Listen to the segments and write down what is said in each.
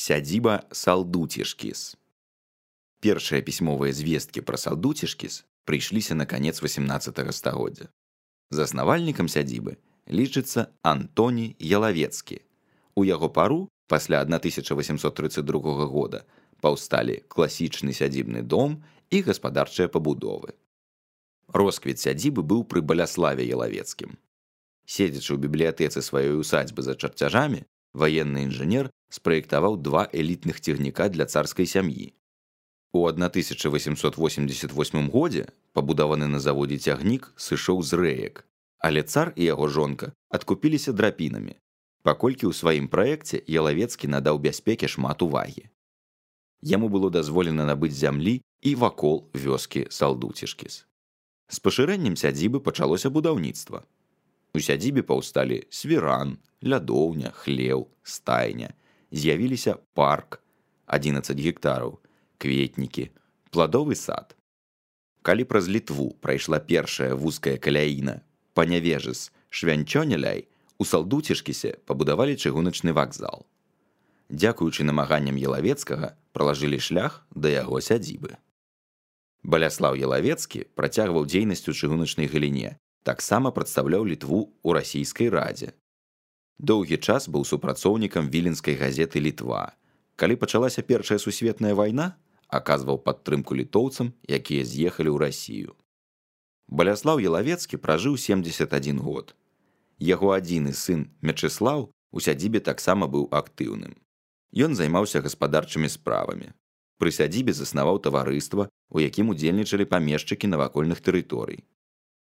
Сядзіба Салдуцішкіс. Першыя пісьмовыя звесткі пра Салдуцішкіс прыйшліся на канец 18 стагоддзя. Заснавальнікам сядзібы лічыцца Антоні Ялавецкі. У яго пару пасля 1832 года паўсталі класічны сядзібны дом і гаспадарчыя пабудовы. Росквіт сядзібы быў пры Баляславе Ялавецкім. Седзячы ў бібліятэцы сваёй усадзьбы за чарцяжамі, ваенны інжынер спраектаваў два элітных цягніка для царскай сям'і. У 1888 годзе пабудаваны на заводзе цягнік сышоў з рэек, але цар і яго жонка адкупіліся драпінамі, паколькі ў сваім праекце Ялавецкі надаў бяспеке шмат увагі. Яму было дазволена набыць зямлі і вакол вёскі Салдуцішкіс. З пашырэннем сядзібы пачалося будаўніцтва. У сядзібе паўсталі свіран, лядоўня, хлеў, стайня. З'явіліся парк, 11 гектараў, кветнікі, пладовы сад. Калі праз Літву прайшла першая вузкая каляіна Панявежыс-Швянчоняляй, у Салдуцішкісе пабудавалі чыгуначны вакзал. Дзякуючы намаганням Ялавецкага пралажылі шлях да яго сядзібы. Баляслаў Ялавецкі працягваў дзейнасць у чыгуначнай галіне, таксама прадстаўляў Літву ў расійскай радзе. Доўгі час быў супрацоўнікам віленскай газеты «Літва». Калі пачалася Першая сусветная вайна, аказваў падтрымку літоўцам, якія з'ехалі ў Расію. Баляслаў Ялавецкі пражыў 71 год. Яго адзіны сын Мячыслаў у сядзібе таксама быў актыўным. Ён займаўся гаспадарчымі справамі. Пры сядзібе заснаваў таварыства, у якім удзельнічалі памешчыкі навакольных тэрыторый.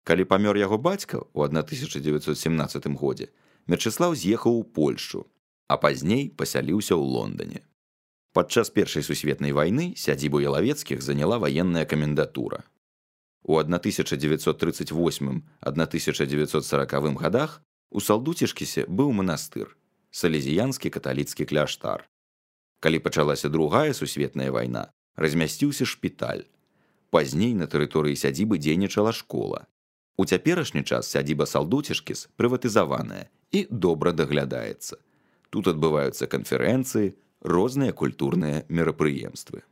Калі памёр яго бацька ў 1917 годзе, Мячыслаў з'ехаў у Польшчу, а пазней пасяліўся ў Лондане. Падчас Першай сусветнай вайны сядзібу Ялавецкіх заняла ваенная камендатура. У 1938-1940 годах у Салдуцішкісе быў манастыр, салезіянскі каталіцкі кляштар. Калі пачалася Другая сусветная вайна, размясціўся шпіталь. Пазней на тэрыторыі сядзібы дзейнічала школа. У цяперашні час сядзіба Салдуцішкіс прыватызаваная і добра даглядаецца. Тут адбываюцца канферэнцыі, розныя культурныя мерапрыемствы.